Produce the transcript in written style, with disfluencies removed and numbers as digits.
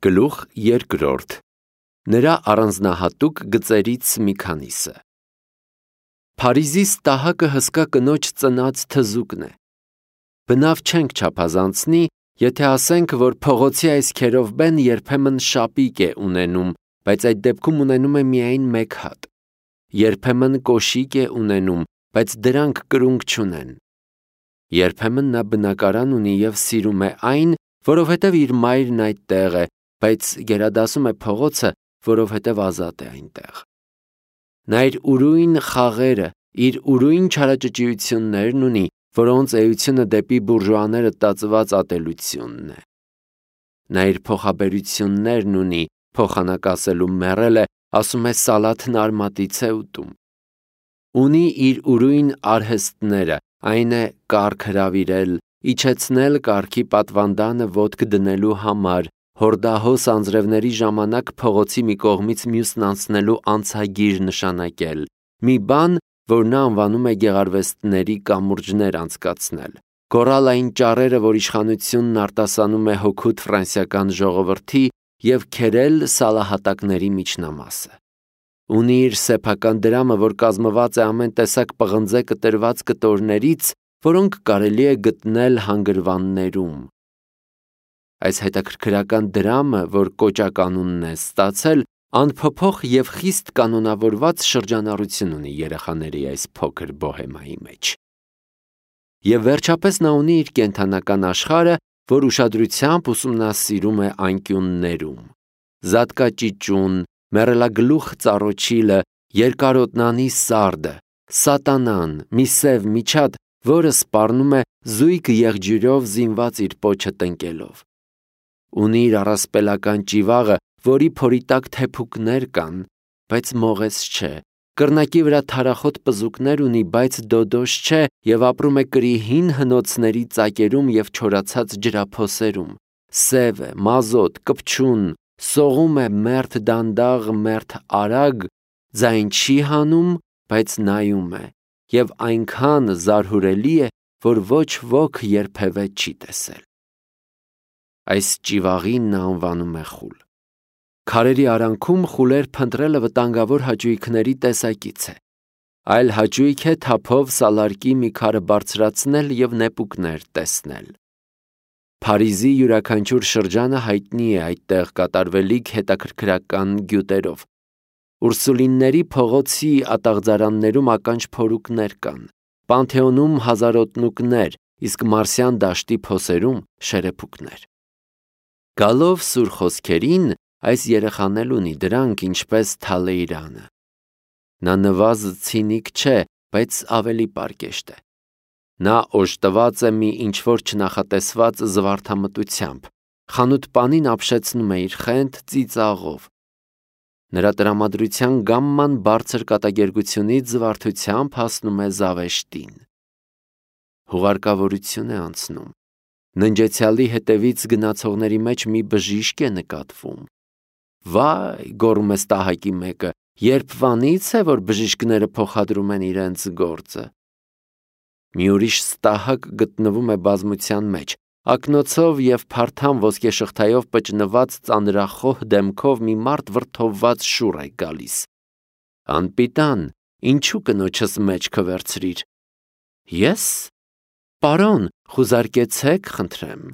Գլուխ երկրորդ. Նրա առանձնահատուկ գծերից մի քանիսը։ Փարիզի ստահակը հսկա կնոջ ծնած թզուկն է։ Բնավ չենք չափազանցնի, եթե ասենք, որ փողոցի այս քերովբեն երբեմն շապիկ է ունենում, բայց այդ դեպքում ունենում է միայն մեկ հատ։ Երբեմն կոշիկ է ունենում, բայց դրանք կրունկ չունեն։ Երբեմն նա բնակարան ունի և սիրում է այն, որովհետև իր մայրն այդտեղ է, բայց գերադասում է փողոցը, որովհետև ազատ է այնտեղ։ Նա իր ուրույն խաղերը, իր ուրույն չարաճճիություններն ունի, որոնց էությունը դեպի բուրժուաները տածված ատելությունն է։ Նա իր փոխաբերություններն ունի, փոխանակ ասելու մեռել է, ասում է սալաթն արմատից է ուտում։ Ունի իր ուրույն արհեստները, այն է կառք հրավիրել, իջեցնել կառքի պատվանդանը ոտք դնելու համար, հորդահոս անձրևների ժամանակ փողոցի մի կողմից մյուսն անցնելու անցագիր նշանակել, մի բան, որ նա անվանում է գեղարվեստների կամուրջներ անցկացնել, գոռալ այն ճառերը, որ իշխանությունն արտասանում է հօգուտ ֆրանսիական ժողովրդի և քերել սալահատակների միջնամասը։ Ունի իր սեփական դրամը, որ կազմված է ամեն տեսակ պղնձե կտրված կտորներից, որոնք կարելի է գտնել հանգրվաններում։ Այս հետաքրքրական դրամը, որ կոճականունն է ստացել, անփոփոխ և խիստ կանոնավորված շրջանառություն ունի երեխաների այս փոքր բոհեմայի մեջ։ Եվ վերջապես նա ունի իր կենդանական աշխարհը, որ ուշադրությամբ ուսումնասիրում է անկյուններում։ Զատկաճիճուն, մեռելագլուխ ծառոչիլը, երկարոտնանի սարդը, սատանան, մի սև միջատ, որը սպառնում է զույգ եղջյուրով զինված իր պոչը տնկելով։ Ունի իր առասպելական ճիվաղը, որի փորի տակ թեփուկներ կան, բայց մողես չէ, կռնակի վրա թարախոտ պզուկներ ունի, բայց դոդոշ չէ և ապրում է կրի հին հնոցների ծակերում և չորացած ջրափոսերում, սև է, մազոտ, կպչուն, սողում է մերթ դանդաղ, մերթ արագ, ձայն չի հանում, բայց նայում է, և այնքան զարհուրելի է, որ ոչ ոք երբևէ չի տեսել։ Այս ճիվաղին նա անվանում է խուլ։ Քարերի արանքում խուլեր փնտրելը վտանգավոր հաճույքների տեսակից է։ Այլ հաճույք է թափով սալարկի մի քարը բարձրացնել և նեպուկներ տեսնել։ Փարիզի յուրաքանչյուր շրջանը հայտնի է այդտեղ կատարվելիք հետաքրքրական գյուտերով։ Ուրսուլինների փողոցի ատաղձարաններում ականջ փորուկներ կան, Պանթեոնում հազարոտնուկներ, իսկ Մարսյան դաշտի փոսերում շերեփուկներ։ Գալով սուր խոսքերին, այս երեխան էլ ունի դրանք, ինչպես Թալեյրանը։ Նա նվազ ցինիկ չէ, բայց ավելի պարկեշտ է։ Նա օժտված է մի ինչ-որ չնախատեսված զվարթամտությամբ, խանութպանին ապշեցնում է իր խենթ ծիծաղով։ Նրա տրամադրության գամման բարձր կատակերգությունից զվարթությամբ հասնում է զավեշտին։ Հուղարկավորություն է անցնում։ Ննջեցյալի հետևից գնացողների մեջ մի բժիշկ է նկատվում։ Վայ, գոռում է ստահակի մեկը, երբվանից է, որ բժիշկները փոխադրում են իրենց գործը։ Մի ուրիշ ստահակ գտնվում է բազմության մեջ, ակնոցով և փարթամ ոսկեշղթայով պճնված ծանրախոհ դեմքով մի մարդ վրդովված շուռ է գալիս։ Անպիտան, ինչու կնոջս մեջքը վերցրիր։ Ես։ Պարոն, խուզարկեցեք, խնդրեմ։